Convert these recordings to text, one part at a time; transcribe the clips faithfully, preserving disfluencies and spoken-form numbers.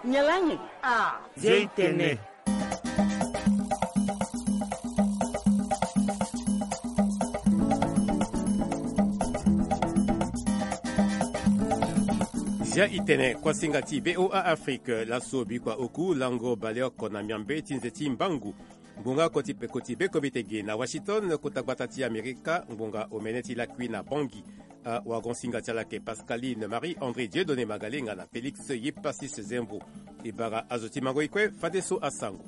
Nyen lani? Ah, Zia i tene. Zia i tene, kuasinga ti V O A Afrique, laso bikua oku lango baleoko na miambe ti nze ti mbangu. Ngbonga oko ti peko ti bekombite ge na Washington, kota gbata ti Amerika, ngbonga omene ti lakui na Bangui. Awagonsinga ti ala ayeke Pascaline Marie André Dieudonné Magalenga na Félix Yepasis Zembo. E bara azo ti mango e kue fadeso asango.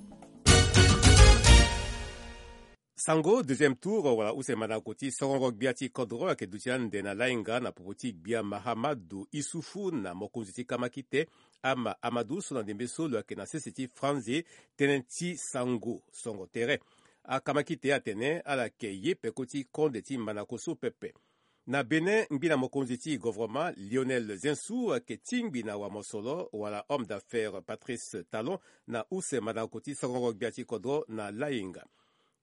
Sango deuxième tour wala use mandako ti sorongo gbia ti kodro ayeke duti ande na lainga na popo ti gbia Mahamadou Issoufou na mokonzi ti kamakite Ama Amadou so na ndembe so lo yeke na sese ti franze tënë ti sango songo tere. Akamakite atene ala yeke ye peko ti konde ti mandako so pepe. Na Bénin, ngbi na mokonzi ti gouvernement Lionel Zinsou ayeke tingbi na wamosolo wala homme d'affaires Patrice Talon na use mandako ti sorongo gbia ti kodro na lainga.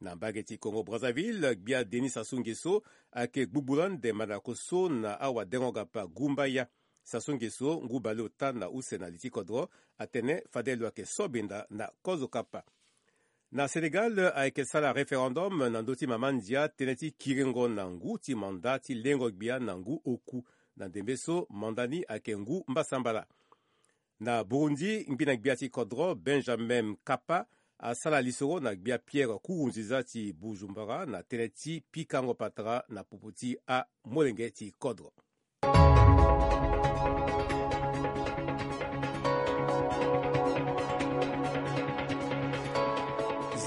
Na mbage ti Congo Brazzaville, gbia Denis Sassou Nguesso ayeke gbugbu lande mandako so na awadengo-gapa Gumbaya. Sassou Nguesso ngu baleota na use na li ti kodro atene fade lo yeke so benda na kozo kapa. Na Sénégal ayeke sara référendum na ndö ti mama ndia tënë ti kiringo na ngu ti manda ti lengo gbia na ngu oku. Na ndembe so manda ni ayeke ngu mbasambala. Na Burundi, ngbi na gbia ti kodro Benjamin Mkapa asara lisoro na gbia Pierre Nkurunziza ti Bujumbura na tënë ti pikango patara na popo ti amolenge ti kodro.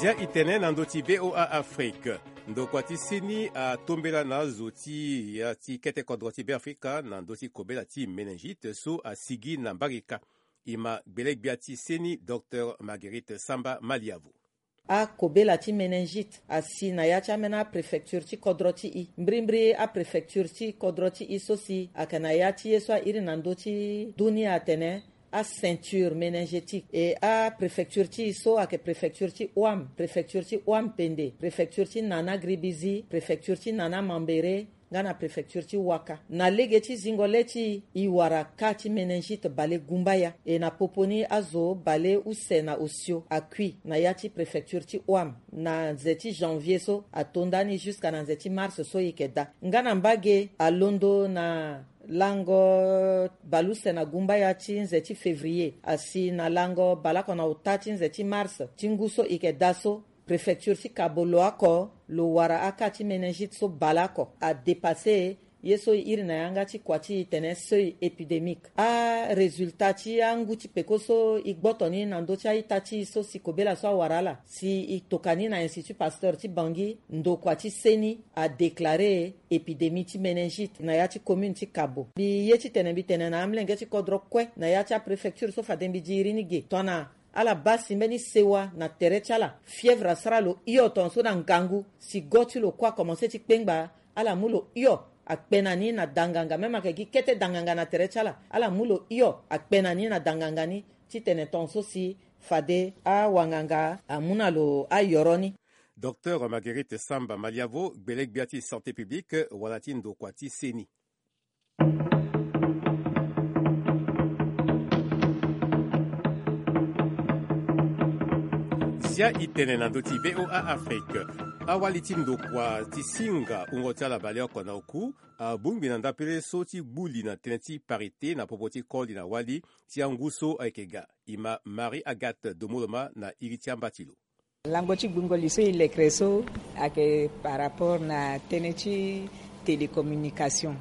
Zia i tene na ndö ti V O A Afrique. Ndokua ti seni atombela na azo ti ya ti kete kodro ti Beafrika na ndö ti kobela ti méningite so asigi na mbarika. E ma gbele-gbia ti seni, Docteur Marguerite Samba Maliavo. Akobela ti méningite asi na ya ti ambeni apréfecture ti kodro ti e. Mbirimbiri apréfecture ti kodro ti e so si ayeke na ya ti ye so airi na ndö ti dunia atene aceinture méningétique. E apréfecture ti e so ayeke préfecture ti Ouham, préfecture ti Ouham Pende, préfecture ti Nana Gribizi, préfecture ti Nana Mambéré, nga na préfecture ti Ouaka. Na lege ti zingo le ti e, e wara cas ti méningite bale gumbaya. E na popo ni azo bale use na osio akui na ya ti préfecture ti Ouham. Na nze ti janvier so ato ndani jusqu'à na nze ti mars so e yeke daa. Nga na mbage alondo na lango baleuse na gumbaya ti nze ti février asi na lango baleoko na ota ti nze ti mars ti ngu so e yeke daa so, préfecture ti Kabo lo oko lo wara acas ti méningite so baleoko adépasser ye so e iri na yanga ti kua ti e tene seuil épidémique. Arésultat ti angu ti peko so e gboto ni na ndö ti a-ita ti e so si kobela so awara ala si e toka ni na Institut Pasteur ti Bangui, ndokua ti seni adéclarer épidémie ti méningite na ya ti commune ti Kabo. Mbi ye ti tene mbi tene na amolenge ti kodro kue na ya ti apréfecture so fade mbi diri ni ge tongana ala baa si mbeni sewa na tere ti ala. Fièvre asara lo hio tongaso na ngangu si go ti lo kue akomanse ti kpengba, ala mu lo hio akpe na ni na danganga, même ayeke gi kete danganga na tere ti ala, ala mu lo hio akpe na ni na danganga ni ti tene tongaso si fade awanganga amu na lo ayoro ni. Docteur Marguerite Samba Maliavo, gbele-gbia ti santé publique wala ti ndokua ti seni. Zia i tene na ndö ti V O A Afrique. Awali ti ndokua ti singa wungo ti ala baleoko na oku abongbi na ndapele so ti gbu li na tënë ti parité na popo ti koli na wali ti angu so ayeke ga. E ma Marie Agathe Domoloma na iri ti amba ti lo. Lango ti gbungo li so e lekere so ayeke par rapport na tënë ti télécommunication.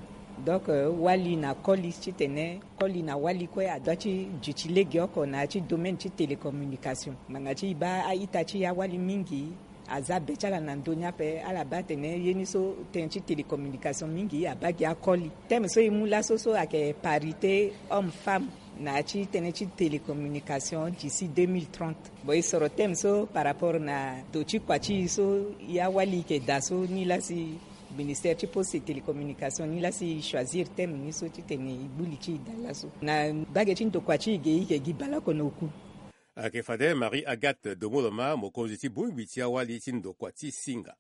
Donc, euh, wali na koli titene koli na wali kue adoit ti duti legeoko na ya ti domaine ti télécommunication. Ngbanga ti e baa a-ita ti e awali mingi aza be ti ala na ndö ni ape, ala baa atene ye ni so tënë ti télécommunication mingi abaa gi akoli. Thème so e mu laso so ayeke parité homme femme na ya ti tënë ti télécommunication d'ici deux mille trente. Bon, e soro thème so par rapport na ndo ti kua ti e so e awali e yeke daa so, ni laa si ministère ti poste et télécommunication ni laa si e choisir thème ni so titene e gbu li ti e daa laso. Na mbage ti ndokua ti e ge e yeke gi baleoko na oku. Ayeke fade Marie Agathe Domoloma, mokonzi ti bongbi ti awali ti ndokua ti singa.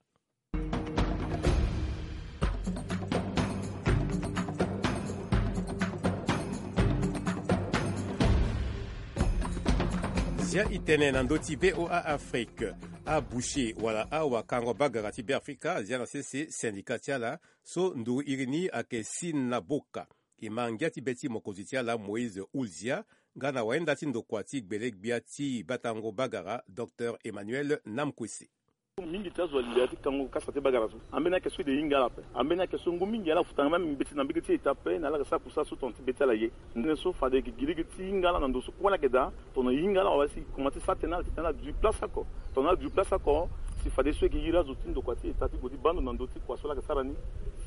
Ya itene na ndoti V O A Afrique. Aboucher wala awakango bagara ti Beafrika azia na sese syndicat ti ala so nduru iri ni ayeke Sina Boka. E ma ngia ti be ti mokonzi ti ala Moïse Oulzia nga na wayenda ti ndokua ti gbele-gbia ti batango bagara Docteur Emmanuel Namkwese. Mingi ti azo alia ti kango kasa ti bagara so ambeni ayeke so e de hinga ala ape. Ambeni ayeke so ngu mingi ala futa nga même mbeti na mbege ti eta ape na ala yeke sara kusala so tongana ti be ti ala ye. Ndene so fade e yeke gi lege ti hinga ala na ndo so kue ala yeke daa. Tongana e hinga ala wala si e komanse ti sara tënë ala titene ala dui place oko. Tongana ala dui place oko si fade so e yeke iri azo ti ndokua ti eta ti gue ti baa ndo na ndö ti kua so ala yeke sara ni.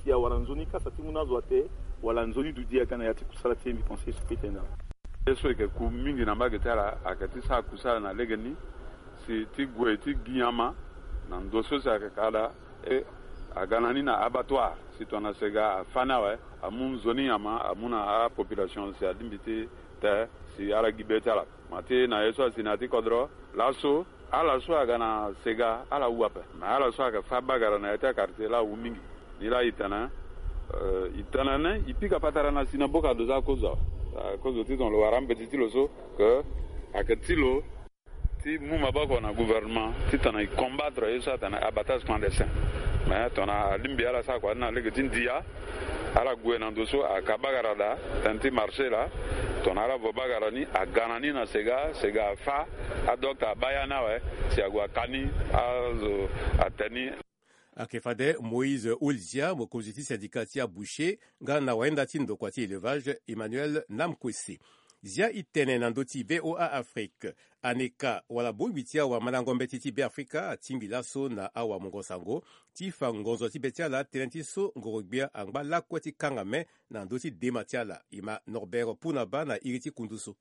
Si awara nzoni kasa ti mu na azo ate wala nzoni duti aga na ya ti kusala ti e. Mbi pense so kete na ala. Ye so e yeke ku mingi na mbage ti ala ayeke ti sara kusala na legeni si ti gue ti gi nyama na ndo so si ayeke ka daa. E aga na ni na abattoir si tongana sega afâ ni awe amu nzoni nyama amu na apopulation si alingbi ti te si ala gi be ti ala. Ma ti na ye so asi na ya ti kodro laso ala so aga na sega ala wu ape. Me ala so ayeke fâ bagara na ya ti akartie laa awu mingi. Ni laa e tene, eh, e tene ni e pika patara na Sina Boka ado so akozo awe. Akozo titene lo wara mbeti ti lo so ke ayeke ti lo ti mu maboko na gouvernement titene e combattre ye so atene abattage clandestin. Mais tongana alingbi ala sara kua ni na lege ti ndia ala gue na ndo so aka bagara daa tënë ti marché laa. Tongana ala vo bagara ni aga na ni na sega, sega afâ adokta abaa ya ni awe si ague aka ni azo ate ni. Ayeke fade Moïse Oulzia mokonzi ti syndicat ti aboucher nga na wayenda ti ndokua ti élevage Emmanuel Namkwese. Zia e tene na ndö ti V O A Afrique. Aneka wala bongbi ti awamandango mbeti ti Beafrika atingbi laso na awamungo sango ti fa ngonzo ti be ti ala tënë ti so ngoro-gbia angba lakue ti kanga me na ndö ti dema ti ala. E ma Norbert Punaba na iri ti kundu so.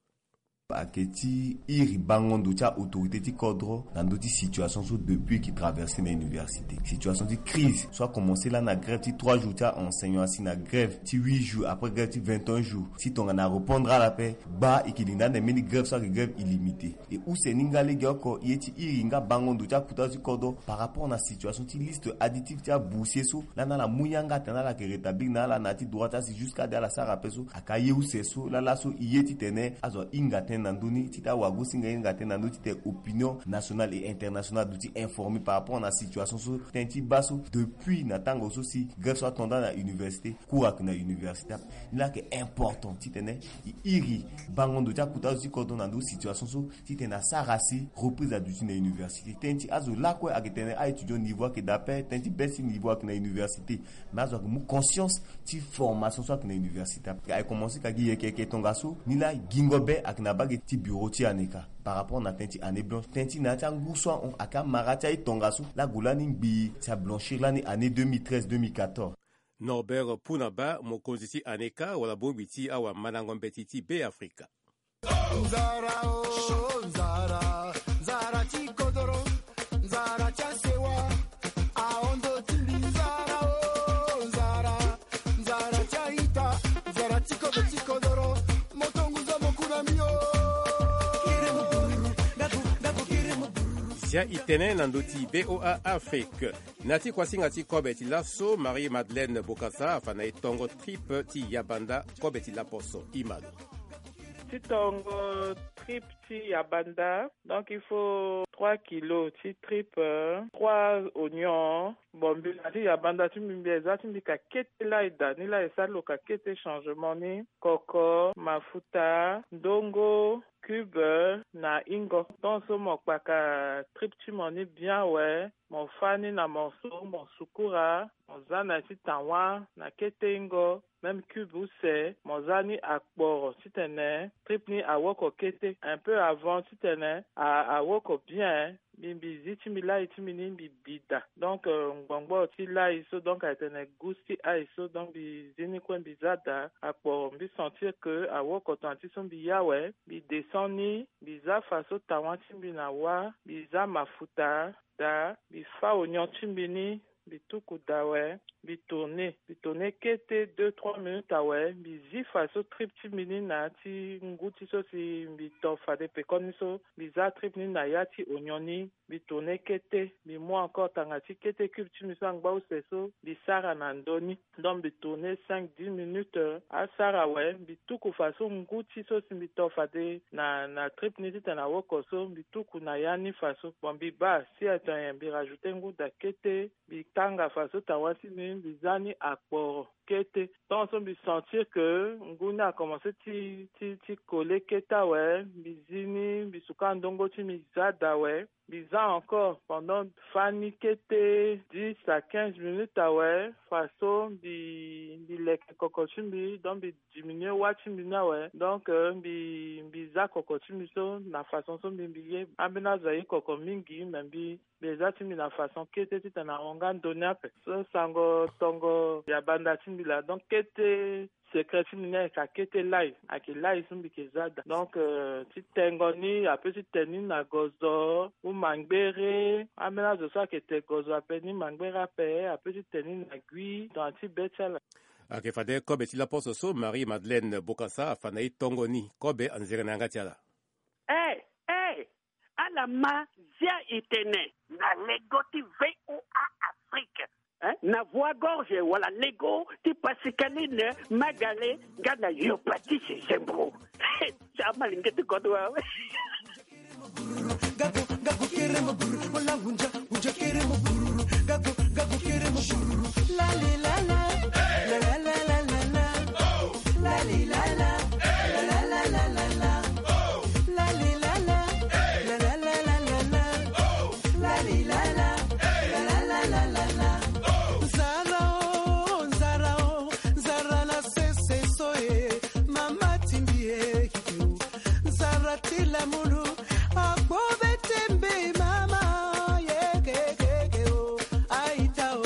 Ayeke ti iri bango ndo ti a-autorité ti kodro na ndö ti situation so depuis e yeke traverse na université. Situation ti crise so akomanse lani na grève ti trois jours ti a-enseignant asi na grève ti huit jours après grève ti vingt et un jours. Si tongana arépondre ala ape gba e yeke linda ande mbeni grève so ayeke grève illimité. E use ni nga legeoko ye ti iri nga bango ndo ti akuta so ti kodro par rapport na situation ti liste additive ti aboussier so lani ala mu yanga atene ala yeke rétablir na ala na ya ti droit ti asi jusqu'à de ala sara ape so. Aka ye use so laa laso e ye titene azo ahinga tënë na ndö ni titene awagosinga hinga tënë na ndö titene opinion nationale et internationale aduti informé par rapport na situation so. Tënë ti baa so depuis na tango so si grève so atonda na université, cours ayeke na université ape. Ni laa ayeke important titene e iri bango ndo ti akuta so ti kodro na ndö ti situation so titene asara si reprise aduti na université. Tënë ti azo lakue ayeke tene a-étudiant niveau ayeke daa ape, tënë ti baisse ti niveau ayeke na université. Mais azo ayeke mu conscience ti formation so ayeke na université ape. Ayeke commencé ka gi yeke yeke tongaso ni laa gingo be ayeke na mbage ti bureau ti aneka par rapport na tënë ti année blanche. Tënë ti na ya ti angu so ahon ayeke amara ti aye tongaso laa ague lani ngbii si ablanchir lani année deux mille treize deux mille quatorze. Norbert Punaba mokonzi ti aneka wala bongbi ti awamandango mbeti ti Beafrika. Nzara o nzara, nzara ti kodoro, nzara ti asewa, ahondo ti mbi nzara o nzara, nzara ti aita, nzara ti kodo ti kodoro, moto ngu zo mo ku na mbi o. Zia e tene na ndö ti V O A Afrique. Na ya ti kuasinga ti kobe ti laso, Marie Madeleine Bokassa afa na e tongo trip ti yabanda kobe ti laposo. Imalo. Ti tongo trip ti yabanda, donc il faut trois kilos ti trip, euh, trois oignons. Bon, mbi na ti yabanda ti mbi, mbi eza ti mbi ka kete lai da ni lai e sara lo ka kete changement ni. Koko, mafuta, ndongo, cube na ingo. Tant so mo kpaka trip ti mo ni bien awe, mo fâ ni na morceau, mo sukura, mo za na ya ti tawa na kete ingo. Même cube use mo za ni akporo titene trip ni awoko kete un peu avant titene a, awoko bien. Mbi, mbi zi ti mbi lai ti mbi ni mbi bi daa. Donc, euh, ngbongboro ti lai so, donc, ayeke tene gus ti ail so, donc, mbi zi ni kue mbi za daa akporo. Mbi sentir que awoko tongana ti so mbi ye awe, mbi descend ni, mbi za faso tawa ti mbi na wâ, mbi za mafuta daa, mbi fâ oignon ti mbi ni, mbi tuku daa awe. Mbi tourner mbi tourner kete deux trois minutes awe. Mbi zi faso trip ti mbi ni na ya ti ngu ti so si mbi to fade pekoni so. Mbi za trip ni na ya ti onyon ni. Mbi tourner kete. Mbi mu encore tanga ti kete cube ti mbi so angba use so mbi sara na ndö ni. Donc mbi tourner cinq dix minutes asara awe. Mbi tuku faso ngu ti so si mbi to fade na na trip ni titene awoko so mbi tuku na ya ni faso. Bon mbi baa si ato nyen mbi rajouter ngu daa kete. Mbi tanga faso tawa ti mbi mbi za ni akporo kete. Tant so mbi sentir que ngu ni akomense ti ti ti coller kete awe. Mbi zi ni mbi suka ndongo ti mbi za daa awe. Mbi za encore pendant fani kete dix à quinze minutes awe. Faso mbi mbi leke koko ti mbi donc mbi diminuer wâ ti mbi ni awe. Donc mbi mbi za koko ti mbi so na façon so mbi mbi ye. Ambeni azo aye koko mingi mais mbi mbi za ti mbi na façon kete titene ahon nga ndö ni ape. So sango tongo ya banda ti mbi laa donc kete secret ti mbi ni ayeke akete lai. Ayeke lai so mbi yeke za daa donc ti tengo ni ape ti te ni na gozo ou mangbere. Ambeni azo so ayeke te gozo ape ni mangbere ape ape ti te ni na gui tongana ti be ti ala. Ayeke fade kobe ti laposo so Marie Madeleine Bokassa afa na ye tongo ni. Kobe anzere na yanga ti ala. Eh, eh, ala ma zia itene na lego ti V O A Afrique. Eh, na voie gorge wala lego ti Pascaline Magale nga na Yopatise Zembro. Sama lingete kodo wa. Nzara o, nzara o, nzara na sese so e, mama timbi e. Nzara ti lamulu akpo be tembe mama ye kekeke o. Aita o.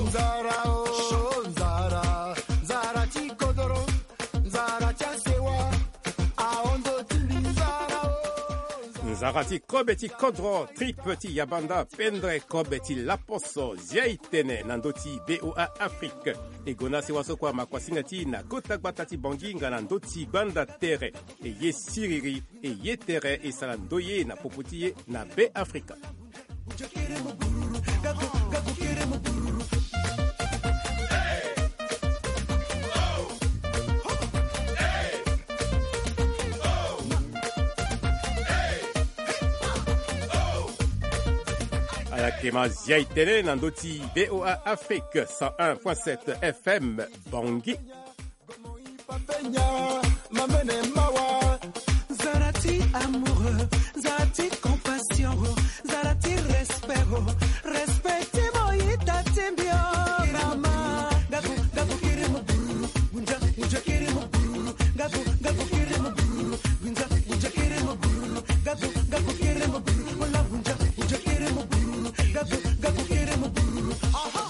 Nzara o, nzara, nzara ti kodoro, nzara ti asewa, ahon ndo ti mbi nzara o. Nzara ti kobe ti kodro, trip ti yabanda, pendre kobe ti laposo, zia itene na ndö ti V O A Afrique. E gue na sewa so kue amakuasinga ti e na kota gbata ti Bangui nga na ndö ti gbanda tere. E ye siriri, e ye tere, e sara ndoye na popo ti e na Be Afrika. Ala yeke ma zia itene na ndö ti V O A Afrique cent un point sept F M Bangui. Nzara ti amoureux, nzara ti compassion, nzara ti respect, respect ti mo yita ti mbi o mama. Gabu gabu kiri mo bururu, gunja gunja kiri mo bururu, gabu gabu kiri mo bururu, gunja gunja kiri mo bururu, gabu gabu kiri mo bururu, wala gunja gunja kiri mo bururu, gabu gabu kiri mo bururu. Aha.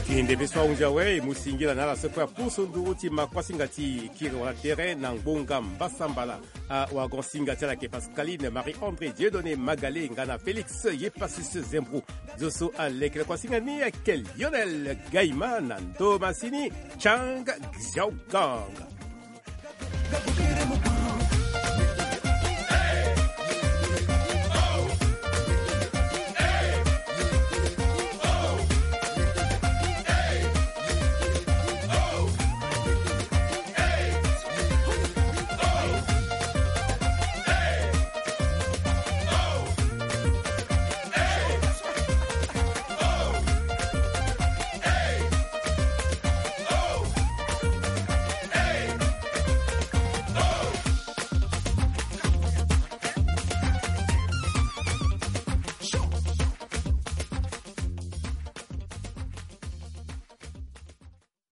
Kende be so ahunzi awe e mu singila na ala so kue apusu nduru ti makuasinga ti kiri wala tere na ngbonga mbasambala. Awagon singa ti ala yeke Pascaline Marie André Dieudonné Magalé nga na Félix Yepasis Zembrou. Zo so aleke na kuasinga ni ayeke Lionel Gaima na ndo masini Chang Xiaogang.